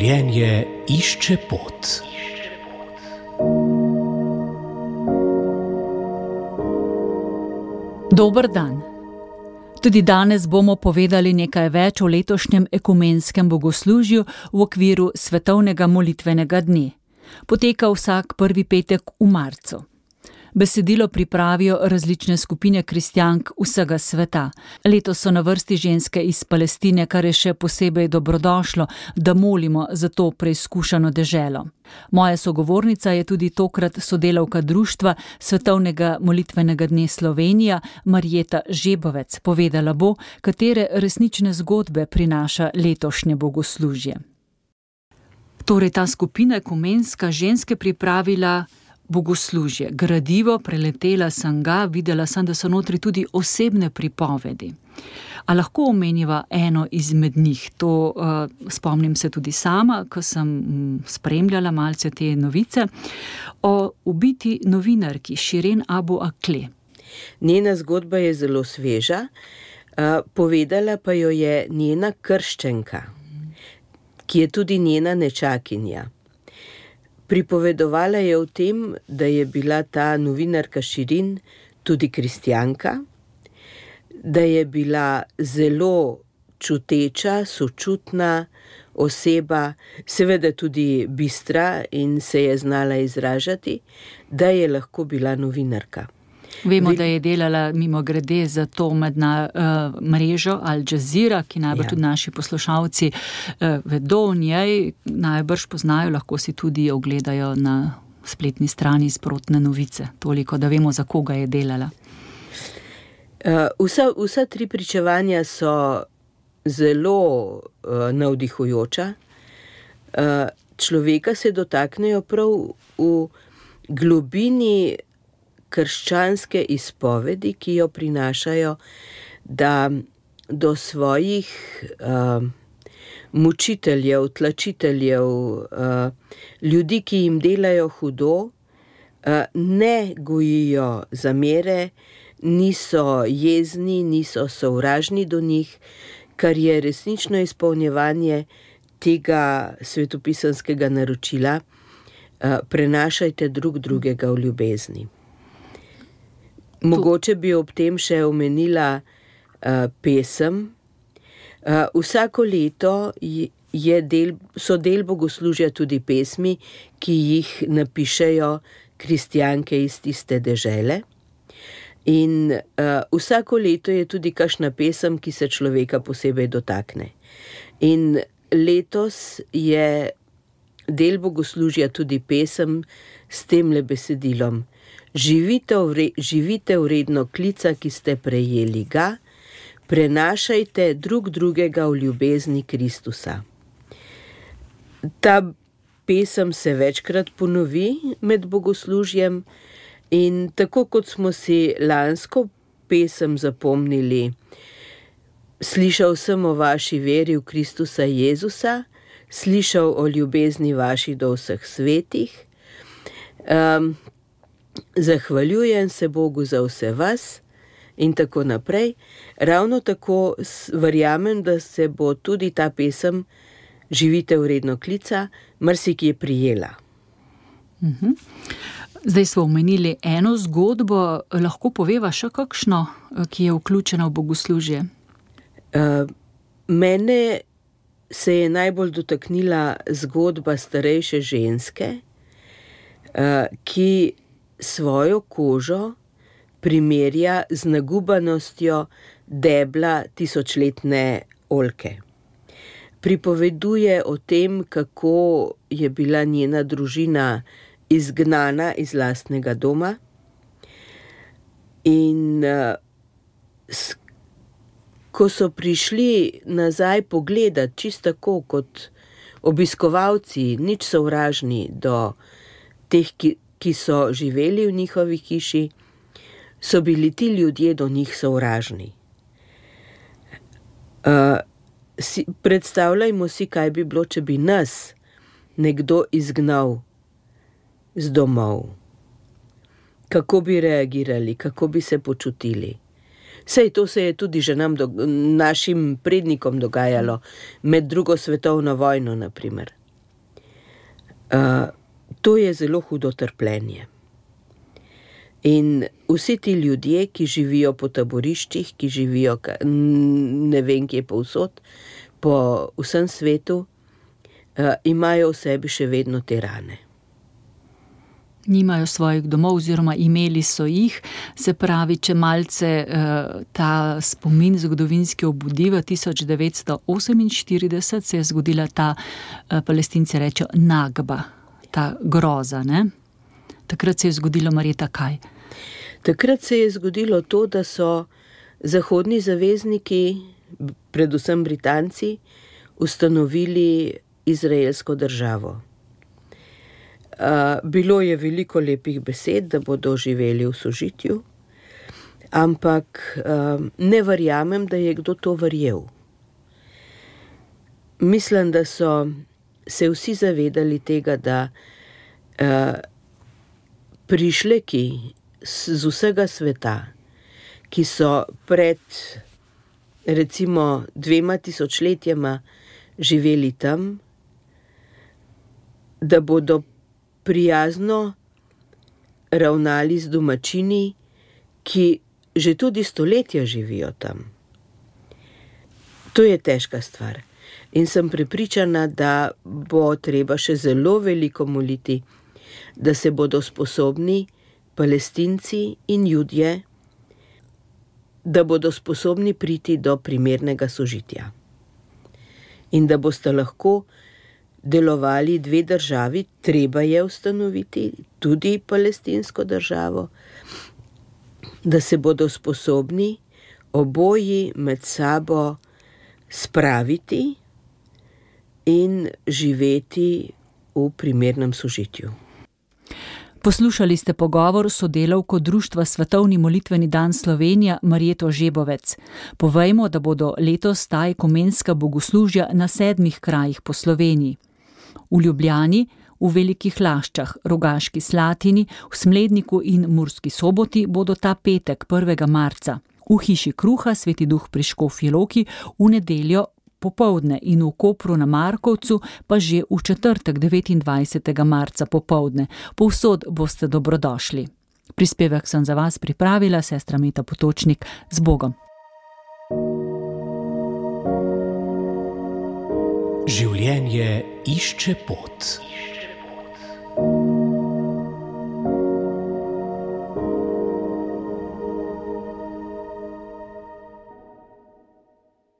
Življenje išče pot. Dober dan. Tudi danes bomo povedali nekaj več o letošnjem ekumenskem bogoslužju v okviru svetovnega molitvenega dne. Poteka vsak prvi petek v marcu. Besedilo pripravijo različne skupine kristjank vsega sveta. Letos so na vrsti ženske iz Palestine, kar je še posebej dobrodošlo, da molimo za to preizkušano deželo. Moja sogovornica je tudi tokrat sodelavka društva Svetovnega molitvenega dne Slovenija, Marjeta Žebovec. Povedala bo, katere resnične zgodbe prinaša letošnje bogoslužje. Torej, ta skupina ekumenska ženske pripravila bogoslužje. Gradivo, preletela sem ga, videla sem, da so notri tudi osebne pripovedi. A lahko omeniva eno izmed njih? To spomnim se tudi sama, ko sem spremljala malce te novice, o ubiti novinarki Širen Abu Akleh. Njena zgodba je zelo sveža, povedala pa jo je njena krščenka, ki je tudi njena nečakinja. Pripovedovala je o tem, da je bila ta novinarka Širin tudi kristjanka, da je bila zelo čuteča, sočutna oseba, seveda tudi bistra in se je znala izražati, da je lahko bila novinarka. Vemo, da je delala mimogrede za to mrežo Al Jazeera, ki najbrž tudi naši poslušalci vedo o njej, najbrž poznajo, lahko si tudi ogledajo na spletni strani sprotne novice. Toliko, da vemo, za koga je delala. Vsa tri pričevanja so zelo navdihujoča. Človeka se dotaknejo prav v globini krščanske izpovedi, ki jo prinašajo, da do svojih mučiteljev, tlačiteljev, ljudi, ki jim delajo hudo, ne gojijo zamere, niso jezni, niso sovražni do njih, kar je resnično izpolnjevanje tega svetopisanskega naročila: prenašajte drug drugega v ljubezni. Mogoče bi ob tem še omenila pesem. Vsako leto so del bogoslužja tudi pesmi, ki jih napišejo kristjanke iz tiste dežele. In vsako leto je tudi kakšna pesem, ki se človeka posebej dotakne. In letos je del bogoslužja tudi pesem s temle besedilom: živite vredno klica, ki ste prejeli ga, prenašajte drug drugega v ljubezni Kristusa. Ta pesem se večkrat ponovi med bogoslužjem in tako kot smo si lansko pesem zapomnili: slišal sem o vaši veri v Kristusa Jezusa, slišal o ljubezni vaši do vseh svetih, zahvaljujem se Bogu za vse vas in tako naprej. Ravno tako verjamem, da se bo tudi ta pesem živite vredno klica marsikje prijela. Zdaj smo omenili eno zgodbo, lahko poveva še kakšno, ki je vključena v bogoslužje? Mene se je najbolj dotaknila zgodba starejše ženske, ki svojo kožo primerja z nagubanostjo debla tisočletne oljke. Pripoveduje o tem, kako je bila njena družina izgnana iz lastnega doma in ko so prišli nazaj pogledat, čisto tako kot obiskovalci, nič sovražni do teh, ki so živeli v njihovi hiši, so bili ti ljudje do njih sovražni. Predstavljajmo si, kaj bi bilo, če bi nas nekdo izgnal z domov. Kako bi reagirali, kako bi se počutili? Sej to se je tudi že našim prednikom dogajalo, med drugo svetovno vojno, na primer. To je zelo hudo trpljenje. In vsi ti ljudje, ki živijo po taboriščih, ki živijo ne vem kje povsod, po vsem svetu, imajo v sebi še vedno te rane. Nimajo svojih domov oziroma imeli so jih, se pravi, če malce ta spomin zgodovinski obudi, v 1948 se je zgodila ta, Palestinci rečejo, Nagba, ta groza, ne? Takrat se je zgodilo, Marjeta, kaj? Takrat se je zgodilo to, da so zahodni zavezniki, predvsem Britanci, ustanovili izraelsko državo. Bilo je veliko lepih besed, da bodo živeli v sožitju, ampak ne verjamem, da je kdo to verjel. Mislim, da so se vsi zavedali tega, da prišleki z vsega sveta, ki so pred recimo 2000 letjema živeli tam, da bodo prijazno ravnali z domačini, ki že tudi stoletja živijo tam. To je težka stvar. In sem prepričana, da bo treba še zelo veliko moliti, da se bodo sposobni Palestinci in Judje, da bodo sposobni priti do primernega sožitja. In da boste lahko delovali dve državi, treba je ustanoviti tudi palestinsko državo, da se bodo sposobni oboji med sabo spraviti in živeti v primernem sožitju. Poslušali ste pogovor s sodelavko Društva Svetovni molitveni dan Slovenija Marjeto Žebovec. Povejmo, da bodo letos ta ekumenska bogoslužja na 7 krajih po Sloveniji. V Ljubljani, v Velikih Laščah, Rogaški Slatini, v Smledniku in Murski Soboti bodo ta petek 1. marca. V Hiši kruha Sveti Duh pri Škofji Loki v nedeljo popoldne in v Kopru na Markovcu pa že v četrtek 29. marca popoldne. Povsod boste dobrodošli. Prispevek sem za vas pripravila sestra Meta Potočnik. Z Bogom. Življenje išče pot.